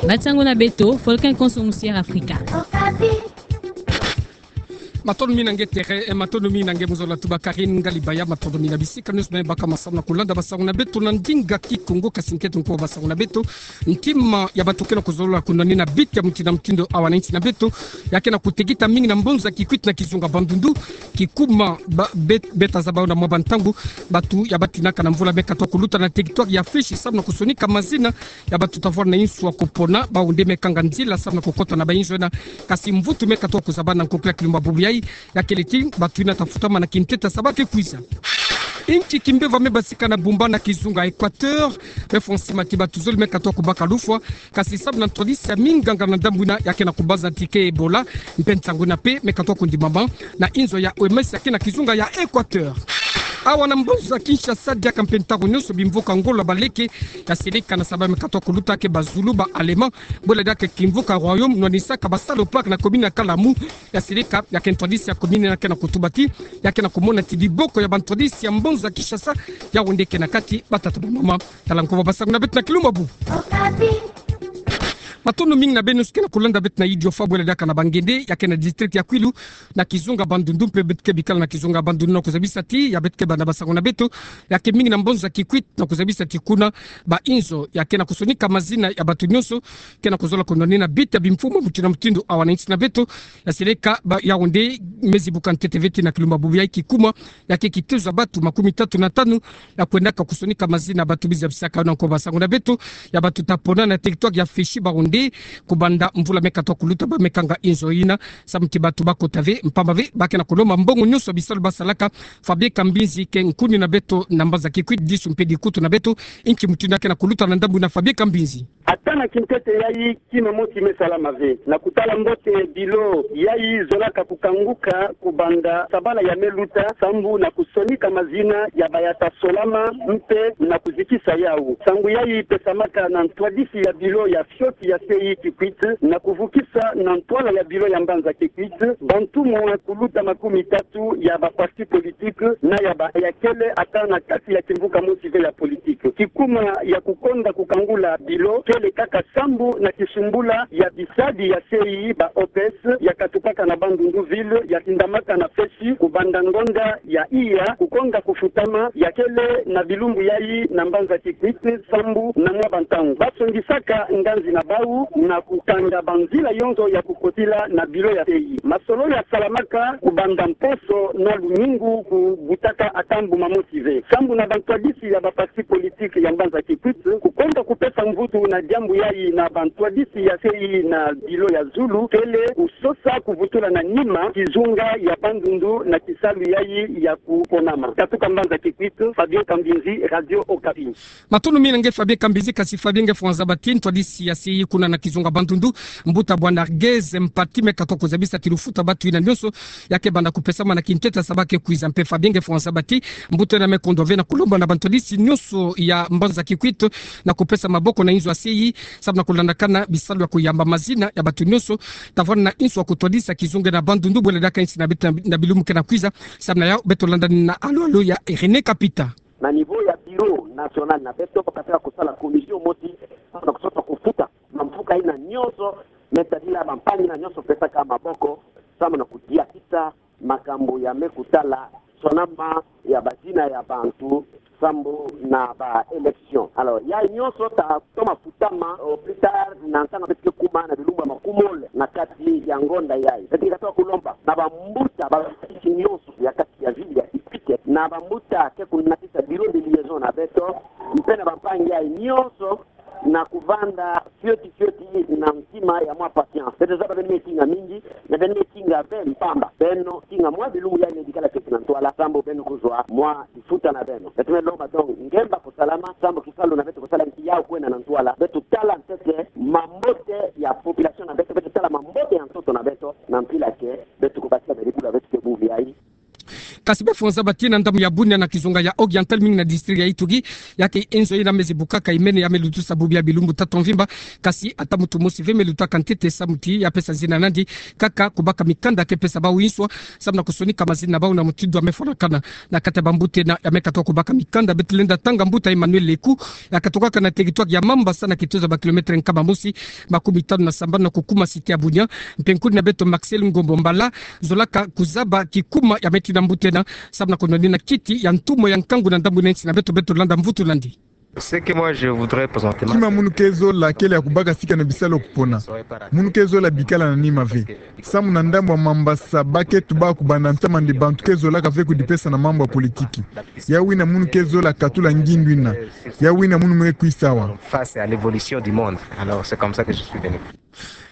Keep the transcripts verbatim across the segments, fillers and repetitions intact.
Ba nsangu na beto, Volcan Konso Musière Afrika. Matondo mingi na nge Tere, eh, matondo mingi na nge Muzola Tuba Karine Ngalibaya, matondo mingi na bisika nionso beno baka masamu na kulanda ba nsangu na beto na ndinga Kikongo, kasi nkento nko ba nsangu na beto. Ntima ya bato ke na kuzololo kunwanina bit ya mutindu na mutindu awa na nsi na beto, ya ke na kutekita mingi na mbanza Kikwit na kizunga Bandundu, kikuma ba-, bet-, beta zaba na mwa bantangu, bato ya batinaka na mvula me katuka kuluta na territoire ya Fishi, samu na kusonika mazina ya bato ta vwala na insu ya kupona, bau nde me kanga nzila samu na kukota na ba inzo ena, kasi mvutu me katuka kuzaba na nkokila kilumbu bubu yai, ya kele ti bato ina ta futama na kintete ya saba ke kwiza. Inki kimbeva me basika na bumba na kizunga Equateur, me fwa nsima ti bato zole me katuka kubaka lufwa, kasi samu na ntwadisi ya minganga na ndambu ina ya ke na kubaza ti ke Ebola, mpe nsangu ina mpe me katuka kundimama na inzo ya O M S ya ke na kizunga ya Equateur. Awa na mbanza Kinshasa, diaka mpe ntaku nionso bimvuka ngolo ya baleke ya seleka na saba me katuka kuluta ke ba Zulu, ba Allemands, bwela diaka kimvuka Royaume, nwanisaka ba salopard na commune ya Kalamu, ya seleka ya ke ntwadisi ya commune ina ke na kutuba ti ya ke na kumona ti diboko ya bantwadisi ya mbanza Kinshasa, yau nde ke na kati batata, bamama. Tala nko ba nsangu na beto na kilumbu bubu. Matondo mingi na beno nionso ke na kulanda beto na Idiofa, bwela diaka na Bangende, ya ke na district ya Kwilu, na kizunga Bandundu, mpe beto ke bikala na kizunga Bandundu na kuzabisa ti ya beto ke banda ba nsangu na beto ya ke mingi na mbanza Kikwit, na kuzabisa ti kuna ba inzo ya ke na kusonika mazina ya bato nionso ke na kuzola kunwanina bit ya bimfumu mutindu na mutindu awa na nsi na beto, ya seleka ba yau nde me zibuka ntete ve ti na kilumbu bubu yai kikuma ya ke kitezo ya bato makumi tatu na tanu ya kwendaka kusonika mazina ya bato bizi ya bisaka. Na nko ba nsangu na beto ya bato ta pona na territoire ya Fishi, bau nde kubanda mvula me katuka kuluta ba me kanga inzo ina, samu ti bato bakota ve, mpamba ve ba ke na kulomba mbongo nionso ya bisalu basalaka. Fabien Kambinzi ke nkuni na beto na mbanza Kikwit, disu mpe dikutu na beto. Inki mutindu ya ke na kuluta na ndambu ina, Fabien Kambinzi? Ata na kintete yai kima mosi me salama ve. Na kutala mbote, bilo yai zolaka kukanguka kubanda sabala ya me luta, sambu na kusonika mazina ya ba ya ta solama mpe na kuzikisa yau. Nsangu yai pesamaka na ntwadisi ya bilo ya fioti ya C I Kikwit, na kuvukisa na ntwala ya bilo ya mbanza Kikwit, bantumwa kuluta makumi tatu ya ba parti politique na ya ba ya kele ata na kati ya kimvuka mosi ve ya politique. Kikuma ya kukonda kukangula bilo kele kaka sambu na kisumbula ya bisadi ya C I, ba O P S, ya katukaka na Bandundu ville, ya tindamaka na Fishi kubanda ngonda ya iya, kukonda kufutama, ya kele na bilumbu yai na mbanza Kikwit sambu na mwa bantangu. Ba songisaka nganzi na bau na kukanga banzila yonso ya kukotila na bilo ya C I. Masolo ya salamaka kubanda mposo na lumingu, kubutaka ata mbuma mosi ve. Sambu na bantwadisi ya ba parti politique ya mbanza Kikwit, kukonda kupesa mvutu na diambu yai na bantwadisi ya C I na bilo ya zulu kele kusosa kuvutula na nima kizunga ya Bandundu na kisalu yai ya kuponama. Katuka mbanza Kikwit, Fabien Kambinzi, Radio Okapi. Matondo mingi na nge Fabien Kambinzi, kasi Fabien, nge fwa nzaba ti ntwadisi ya C I kuna na kizunga Bandundu, mbuta Bwana Argez Mpati, me katuka kuzabisa ti lufuta bato ina nionso ya ke banda kupesama na kintete ya saba ke kwiza. Mpe Fabien, nge fwa nzaba ti mbuta ina me kondwa ve na kulomba na bantwadisi nionso ya mbanza Kikwit na kupesa maboko na inzo ya C I, samu na kulandakana bisalu ya kuyamba mazina ya bato nionso ta vwala na insu ya kutwadisa kizunga na Bandundu, bwela diaka nsi na beto na bilumbu ke na kwiza. Samu na yau beto landa na alo-alo ya René Kapita. Na niveau ya bureau national na beto, ba kasala commission mosi samu na kusosa kufuta bamfuka ina nionso, me tadila bampangi ina nionso pesaka maboko samu na kudiatisa makambu ya me kutala sonama ya bazina ya bantu sambu na ba élection. Alors, yai nionso ta toma futama au plus tard na ntangu beto ke kuma na bilumbu ya makumole na kati ya ngonda yai. Beto ke katuka kulomba na bambuta, bantwadisi nionso ya kati ya ville ya Kikwit, na bambuta ke kunatisa bureau de liaison na beto, mpe na bampangi yai nionso na kuvanda fioti fioti na ntima ya mwa patience. Beto zaba beno me kinga mingi, na beno me kinga ve mpamba. Beno kinga mwa bilumbu yai me bikala fioti na ntwala, sambu beno kuzwa mwa lifuta na beno. Beto me lomba donc ngemba kusalama, sambu kisalu na beto kusala nki yau kwenda na ntwala. Beto tala ntete mambote ya population na beto, beto tala mambote ya ntoto na beto, na mpila ke beto kubasisa beri kula beto ke bubu yai. Kasi befo nzabati na ndambu ya bunia na kizunga ya Oriental, mingi na district ya Ituri, ya ke inzo ina mezi bukaka imene ya me lutusa bubu ya bilumbu tatu mvimba, kasi ata mutu mosi ve me lutaka ntete samu ti ya pesa zina nandi, kaka kubaka mikanda ke pesa bau inswa, samu na kusonika mazina bau na mutindu ya me fwanakana na kati ya bambuta ina ya me katuka kubaka mikanda. Beto lenda tanga mbuta Emmanuel Leku, ya katukaka na territoire ya Mambasa na kituza ba kilomètre nkama mosi makumi tanu na sambanu na kukuma cité ya Bunia. Mpe nkuni na beto Maxel Ngombo Mbala, zolaka kuzaba kikuma ya me tina mbuta ina, samu na kunonina kiti ya ntumwa ya nkangu na ndambu ina nsi na beto. Beto landa mvutu nandi. Ce que moi je voudrais présenter. Kima munu ke zola kele ya kubaka sika na bisalu ya kupona. Munu ke zola bikala na nima ve. Samu na ndambu ya Mambasa, ba ke tuba kubanda ntama nde bantu ke zolaka ve kudipesa na mambu ya politiki. Ya wina munu ke zola katula ngindu ina. Ya wina munu me kwisa awa. Face à l'évolution du monde. Alors, c'est comme ça que je suis venu.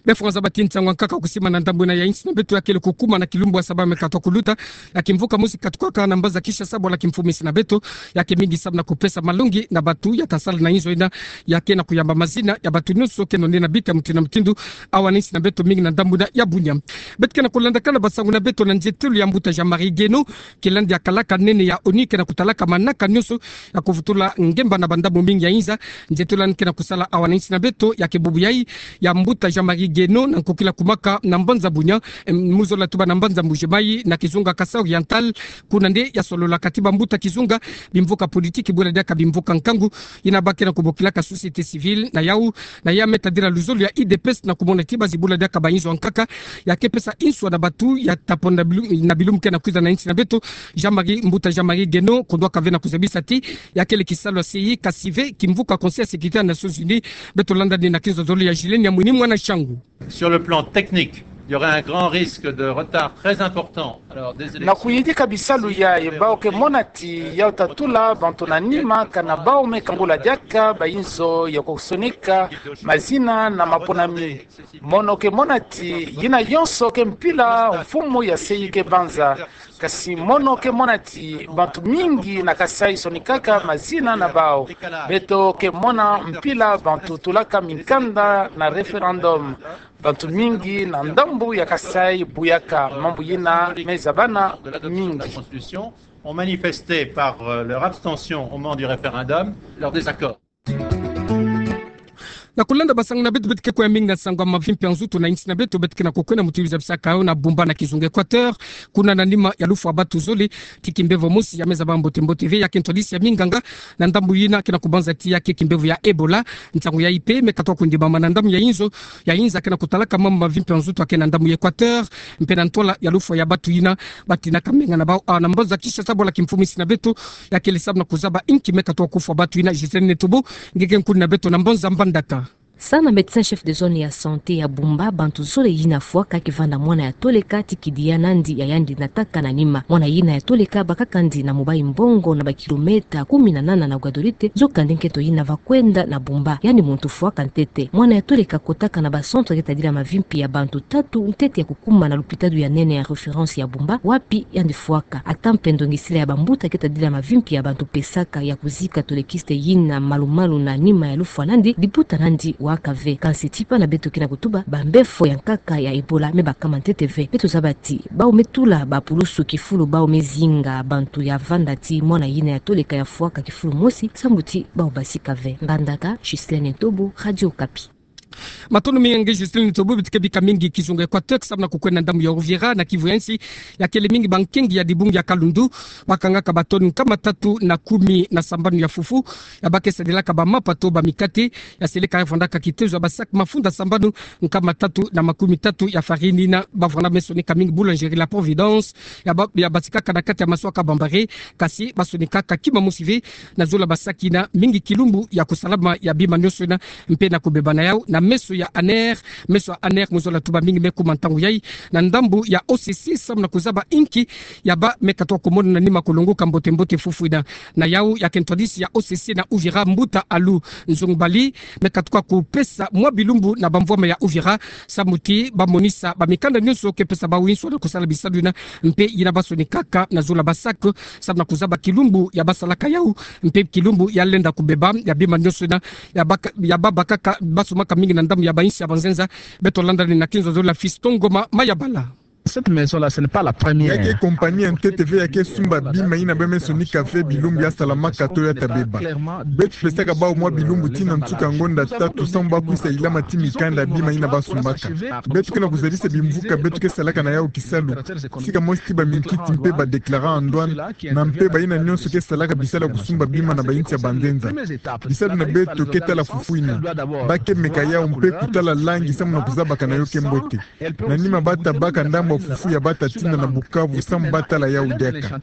Befo nzabati, ntangu ya nkaka kusimama na ndambu ina ya nsi na beto ya kele kukuma na kilumbu ya saba me katuka kuluta, ya kimvuka mosi katukaka na mbanza Kinshasa bwala kimfumu nsi na beto, ya ke mingi samu na kupesa malongi na bantu ya ta sala na inzo ina, ya ke na kuyamba mazina ya bantu nyonso ke nonina bika mutindu na mutindu, awa na nsi na beto, mingi na ndambu ina ya Bunia. Beto ke na kulandaka na basangu na beto na nzietelo ya mbuta Jean-Marie Guénot, kilandi ya kalaka nene ya ONU ke na kutalaka manaka nyonso ya kuvutula ngemba na bandambu mingi ya inza. Nzietelo yandi ke na kusala awa na nsi na beto ya ke bubu yayi ya mbuta Jean-Marie Guénot na nkokila kumaka na mbanza Bunia, em, mu zola tuba na mbanza Mbuji-Mayi na kizunga Kasaï Oriental, kuna nde ya sololaka ti bambuta kizunga, bimvuka politiki, bula diaka bimvuka nkangu, ina ba ke na kubokilaka société civile na yau, na ya me tadila luzolo ya UDPS na kumona ti ba zibula diaka ba inzo ya nkaka ya ke pesa inswa na bantu ya ta pona na bilumbu, na bilumbu ke na kwiza na nsi na beto. Jean-Marie, mbuta Jean-Marie Guénot, kundwaka ve na kuzabisa ti ya kele kisalu ya seyi, kasi ve kimvuka Conseil ya Sécurité ya Nations Unies. Beto landa nde na kinzonzolo ya Gilles Nyamwini, mwana Shangu. Sur le plan technique, il y aurait un grand risque de retard très important. Alors, des élections. Na kuyidika bisalu yayi, bau ke mona ti yau ta tula bantu na nima kana bau me kangula diaka ba inzo ya kusonika mazina na maponami. Mono ke mona ti yina yonso ke mpila mfumu ya seyi ke banza. Kasi mono ke mona ti bantu mingi na Kasaï sonikaka mazina na bau. Beto ke mona mpila bantu tulaka minkanda na référendum. Bantu mingi na ndambu ya Kasaï buyaka mambu yina me zabana mingi. Ont manifesté par, euh, leur abstention au moment du référendum leur désaccord. Na kulanda basangu na beto, beto ke kwe mingi na nsangu ya mavimpi ya nzutu na nsi na beto. Beto ke na kukwenda mutu ya zabisaka yo na Bumba na kizunga Équateur, kuna na nima ya lufwa ya bantu zole ti kimbevo mosi ya me zaba mbote mbote ve, ya ke ntwadisi ya minganga na ndambu yina ke na kubanza ti ya ke kimbevo ya Ebola. Nsangu yayi mpe me katuka kundimama na ndambu ya inzo ya inza ke na kutalaka mambu mavimpi ya nzutu ya ke na ndambu ya Équateur, mpe na ntwala ya lufwa ya bantu yina ba tinaka menga na bau. A, na mbanza Kinshasa bwala kimfumu nsi na beto, ya kele samu na kuzaba inki me katuka kufwa bantu yina. Gisèle Netobo, nge ke nkuni na beto na mbanza Mbandaka. Sana médecin chef de zone ya santé ya Bumba, bantu zole yina fwaka ke vanda mwana ya toleka ti kidi ya nandi ya yandi nataka na nima. Mwana yina ya toleka bakaka ndi na Mobayi-Mbongo, na ba kilomètre kumi na nana na Ouadoulite, nzoka nde nkento yina va kwenda na Bumba. Yandi muntu fwaka ntete. Mwana ya toleka kotaka na ba centre ke tadila mavimpi ya bantu tatu ntete ya kukuma na lupitalu ya nene ya référence ya Bumba, wapi yandi fwaka. Ata mpe ndongisila ya bambuta ke tadila mavimpi ya bantu pesaka ya kuzika tolekiste yina malu-malu na nima ya lufwa nandi, liputa nandi waka ve. Kansi tipa na beto ke na kutuba, bambefo ya nkaka ya Ebola me bakama ntete ve. Beto zaba ti bau me tula bapulusu kifulu bau me zinga bantu ya vanda ti mwana yina ya toleka ya fwaka kifulu mosi, samu ti bau basika ve. Mbandaka, Ghislaine Ntobo, Radio Okapi. Matondo mingi nge Ghislaine Ntobo. Beto ke bika mingi kizunga Équateur, samu na kukwenda ndambu ya Uvira na Kivu ya nsi, ya kele mingi bankengi ya dibungi ya Kalundu bakangaka ba tonne nkama tatu na kumi na sambanu ya fufu ya ba ke sadilaka ba mapa to ba mikate, ya seleka ya vwandaka kitezo ya ba sac mafunda sambanu nkama tatu na makumi tatu ya farine yina ba vwanda me sonika mingi boulangerie La Providence, ya ba, ya batikaka na kati ya maso ya Kabambare, kasi ba sonikaka kima mosi ve na zola ba sac yina mingi kilumbu ya kusalama ya bima nyonso yina mpe na kubeba na yau na meso ya ANR. Meso ya ANR, mu zola tuba, mingi me kuma ntangu yayi na ndambu ya O C C samu na kuzaba inki ya ba me katuka kumona na nima kulongoka mbote mbote fufu yina. Na yau ya ke ntwadisi ya O C C na Uvira, mbuta Alou Nzongbali, me katuka kupesa mwa bilumbu na bamvwama ya Uvira samu ti ba monisa ba mikanda nyonso ke pesa bau inswa na kusala bisalu yina, mpe yina ba sonikaka na zola ba sac, samu na kuzaba kilumbu ya ba salaka yau, mpe kilumbu ya lenda kubeba ya bima nyonso yina ya ba, ya ba bakaka, ba sumaka mingi na ndambu ya ba insi ya banzenza. Beto landa nde na kinzonzolo ya Fiston Ngoma Mayabala. Cette maison-là, ce n'est pas la première. Ya ke kompani ya ntete ve ya ke sumba bima yina bamesoni café bilumbu ya salamaka to ya tabeba. Beto pesaka bawu mwa bilumbu tii na nsuka ngonda tatu samu bakwisa ilama tii mikanda ya bima yina basumbaka. Beto ke na kuzabisa bimvuka beto ke salaka na yawu kisalu, sika mosi tii baminkiti mpe ba déclarant en douane, na mpe bayina nyonso ke salaka bisalu ya kusumba bima na bayinsi ya banzenza. Bisalu na beto ke tala fufu yina, ba ke meka yawu mpe kutala langi samu na kuzabaka na yo ke mbote. Na nima ba tabaka ndambu ya fufu ya ba ta tinda na Bukavu samu ba tala yawu diaka.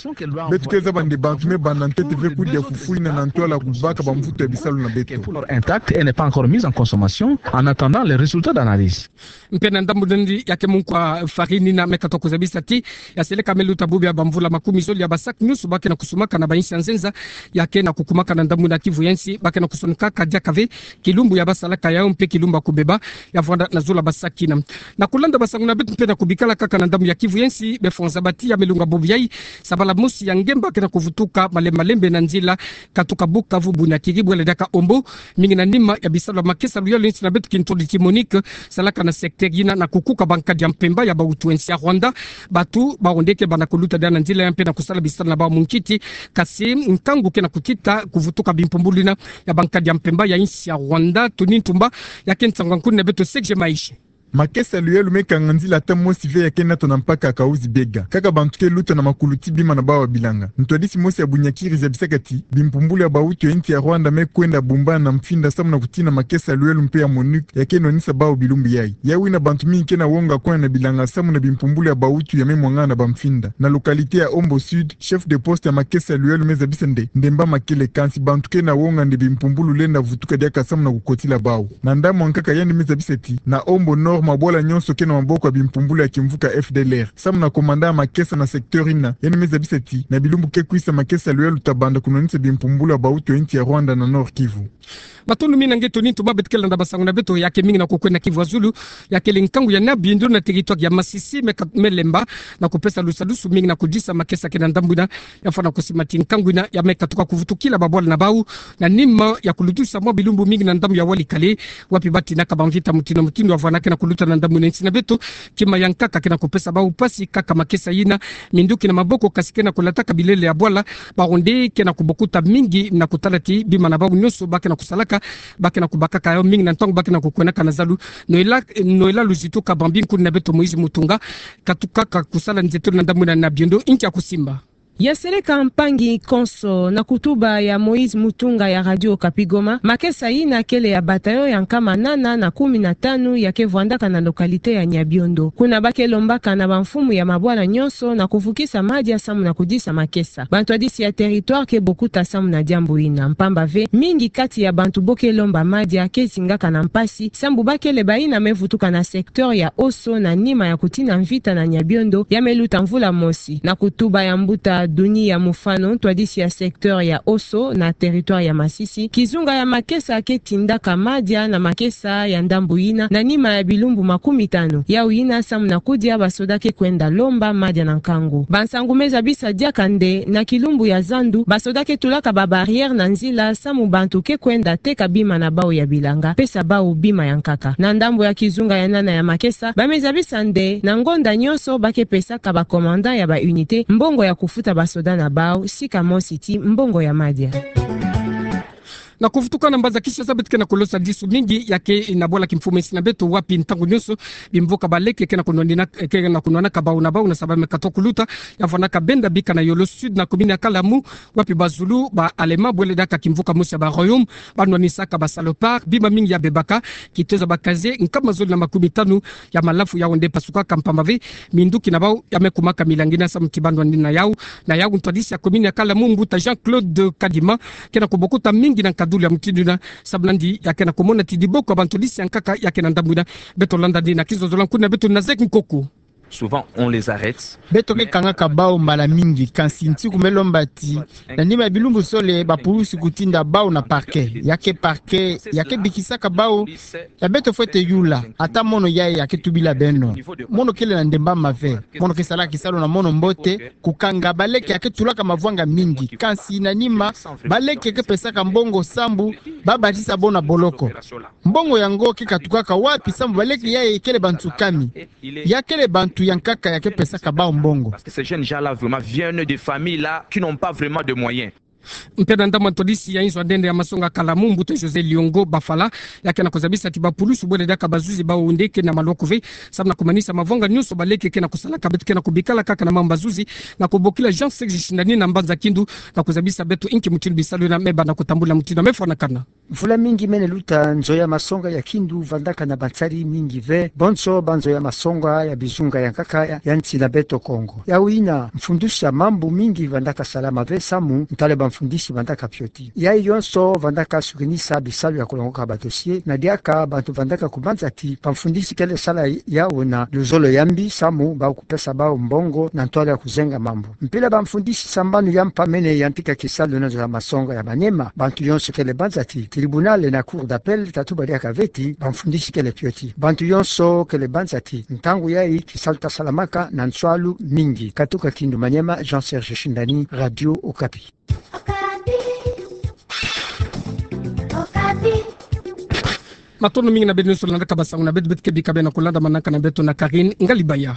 Beto ke zaba nde bantu me banda ntete ve kudia fufu yina na ntwala kubaka bamvutu ya bisalu na beto. Pour leur intact et n'est pas encore mise en consommation en attendant les résultats d'analyse. Mpe na ndambu nandi ya ke munkwa farine yina me katuka kuzabisa tii, ya seleka me luta bubu ya bamvula makumi zole ya ba sac nyonso ba ke na kusumaka na bayinsi ya nzenza, ya ke na kukumaka na ndambu na Kivu ya nsi, ba ke na kusonikaka diaka ve kilumbu ya ba salaka yawu mpe kilumbu ya kubeba, ya vwanda na zola ba sac yina. Na kulanda basangu na beto mpe na kubikala kaka na ndambu ya Kivu ya nsi, befo nzaba tii ya me lunga bubu yayi, sabala mosi ya ngemba ke na kuvutuka malembe malembe na nzila katuka Bukavu, Bunia, Kiri, bwele diaka Ombo, mingi na nima ya bisalu ya makesa luyalu ya nsi na beto kintwadi tii Monique, salaka na secteur yina na kukuka bankadi ya mpemba ya bawutu ya nsi ya Rwanda. Bawu nde ke banda kuluta diaka na nzila ya mpe na kusala bisalu na bawu munkiti, kasi nkangu ke na kutita kuvutuka bimpumbulu yina ya bankadi ya mpemba ya nsi ya Rwanda. Tony Ntumba, ya ke nsangu ya nkuni na beto, Serge Maishe. Makesa luyalu me kanga nzila ata mosi ve ya ke nata na mpaka ya Kahuzi-Biega. Kaka bantu ke luta na makulu tii bima na bawu ya bilanga. Ntwadisi mosi ya Bunia-Kiri zabisaka tii bimpumbulu ya bawutu ya nsi ya Rwanda me kwenda bumbana na mfinda samu na kutina makesa luyalu mpe ya Monique ya ke nwanisa bawu bilumbu yayi. Yawu yina bantu mingi ke na wonga kwenda na bilanga samu na bimpumbulu ya bawutu ya me mwangana na bamfinda. Na localité ya Ombo Sud, chef de poste ya makesa luyalu me zabisa nde, nde mba makele, kansi bantu ke na wonga nde bimpumbulu lenda vutuka diaka samu na kukotila bawu. Na ndambu ya nkaka yandi me zabisa tii, na Ombo Nord mabwala nyonso ke na maboko ya bimpumbulu ya kimvuka F D L R. Samu na commandant ya makesa na secteur yina, yandi me zabisa tii, na bilumbu ke kwisa makesa luyalu ta banda kunwanisa bimpumbulu ya bawutu ya nsi ya Rwanda na Nord-Kivu. Matondo mingi na nge Tony Ntumba. Beto ke landa basangu na beto ya ke mingi na kukwenda Kivu ya Zulu, ya kele nkangu ya Niabiendo na territoire ya Masisi me ka-, me lemba na kupesa lusadusu mingi na kudisa makesa ke na ndambu yina, ya fwana kusima tii nkangu yina ya me katuka kuvutukila babwala na bawu, na nima ya kulutusa mwa bilumbu mingi na ndambu ya Walikale, wapi ba tinaka bamvita mutindu mutindu ya vwanda ke na kuluta na ndambu yina. Nsi na beto, kima ya nkaka ke na kupesa bawu mpasi kaka makesa yina minduki na maboko, kasi ke na kulataka bilele ya bwala. Bawu nde ke na kubokuta mingi na kutala tii bima na bawu nyonso ba ke na kusalaka, ba ke na kubakaka yawu mingi na ntangu ba ke na kukwendaka na zalu. Noëlla, Noëlla Luzitu Kabambi, nkuni na beto Moïse Mutunga, katukaka kusala nzietolo na ndambu yina na Niabiendo, inki ya kusimba. Ya seleka mpangi konso, na kutuba ya Moïse Mutunga ya Radio Okapi Goma, makesa yina kele ya bataillon ya nkama nana na kumi na tanu ya ke vwandaka na localité ya Niabiendo. Kuna ba ke lombaka na bamfumu ya mabwala nyonso na kuvukisa madia samu na kudisa makesa. Bantwadisi ya territoire ke bokuta samu na diambu yina, mpamba ve mingi kati ya bantu bo ke lomba madia ke zingaka na mpasi, sambu ba kele bayina me vutuka na secteur ya Osso na nima ya kutina mvita na Niabiendo ya me luta mvula mosi. Na kutuba ya mbuta Dunia Mufano, ntwadisi ya secteur ya Osso na territoire ya Masisi, kizunga ya makesa ke tindaka madia na makesa ya ndambu yina na nima ya bilumbu makumi tanu. Yawu yina samu na kudia basoda ke kwenda lomba madia na nkangu. Bansangu me zabisa diaka nde na kilumbu ya zandu, basoda ke tulaka ba barrière na nzila samu bantu ke kwenda teka bima na bawu ya bilanga, pesa bawu bima ya nkaka. Na ndambu ya kizunga ya nana ya makesa, ba me zabisa nde na ngonda nyonso ba ke pesaka ba commandant ya ba unité mbongo ya kufuta basoda na bawu, sika mosi tii mbongo ya madia. Na kuvutuka na mbanza Kinshasa, beto ke na kulosa disu mingi ya ke na bwala kimfumu ya nsi na beto, wapi ntangu nyonso bimvuka baleke ke na kunwanina, ke na kunwanaka bawu na bawu na saba me katuka kuluta, ya vwandaka benda bika na Yolo Sud na commune ya Kalamu, wapi bazulu ba Allemand bwele diaka kimvuka mosi ya ba Royaume ba nwanisaka ba salopards bima mingi ya bebaka, kitoza ba casiers nkama zole na makumi tanu ya malafu. Yawu nde pasukaka mpamba ve minduki na bawu ya me kumaka milangi na samu tii ba nwanina yawu. Na yawu ntwadisi ya commune ya Kalamu, mbuta Jean-Claude Kadima, ke na kubokuta mingi na nkadulu ya mutindu yina, samu nandi ya ke na kumona tii diboko ya bantwadisi ya nkaka ya ke na ndambu yina. Beto landa nde na kizolzolo ya nkuni na beto Nazek Nkoko. Souvent, on les arrête. Beto ke kangaka bawu mbala mingi, kansi nsiku me lomba tii, na nima ya bilumbu zole, ba pulusi kutinda bawu na parquet. Ya ke parquet ya ke bikisaka bawu, ya beto fwete yula, ata mono yayi ya ke tubila beno. Mono kele na ndemba mave. Mono ke salaka kisalu na mono mbote. Kukanga baleke ya ke tulaka mavwanga mingi, kansi na nima, baleke ke pesaka mbongo sambu ba batisa bo na boloko. Mbongo yango ke katukaka wapi sambu baleke yayi kele bantu kami? Ya kele bantu ya nkaka ya ke pesaka bawu mbongo. Parce que ces jeunes gens-là vraiment viennent de familles-là qui n'ont pas vraiment de moyens. Mpe na ndambu ntwadisi ya inzo ya ndende ya masonga Kalamu, mbuta José Liongo Bafala, ya ke na kuzabisa ti bapulusu bwele diaka bazuzi bawu nde ke na maloko ve, samu na kumanisa mavanga nyonso baleke ke na kusalaka, beto ke na kubikala kaka na mamba zuzi, na kubokila Jean Serge Shindani na Mbanza Kindu, na kuzabisa beto inki mutindu bisalu yina me banda kutambula, mutindu me fwanakana. Mvula mingi mene luta, nzo ya masonga ya Kindu vandaka na bansari mingi ve, bonso banzo ya masonga ya bizunga ya nkaka ya, ya nsi na beto Kongo. Yawu yina, mfundisi ya mambu mingi vandaka salama ve samu ntwala bamfundisi vandaka pioti. Yayi yonso vandaka sukinisa bisalu ya kulongoka badossier, na diaka bantu vandaka kubanza ti bamfundisi kele sala yawu na luzolo ya mbi samu bawu kupesa bawu mbongo na ntwala ya kuzenga mambu. Mpila bamfundisi sambanu ya mpa mene yantika kisalu na nzo ya masonga ya Maniema, bantu yonso kele banza ti tribunal na cour d'appel tatuba diaka ve ti bamfundisi kele pioti. Bantu yonso kele banza ti ntangu yayi kisalu ta salamaka na nswalu mingi. Katuka Kindu Maniema, Jean Serge Shindani, Radio Okapi. Matondo mingi na beno nyonso landaka basangu na beto, beto ke bika beno na kulanda manaka na beto na Karine Ngalibaya.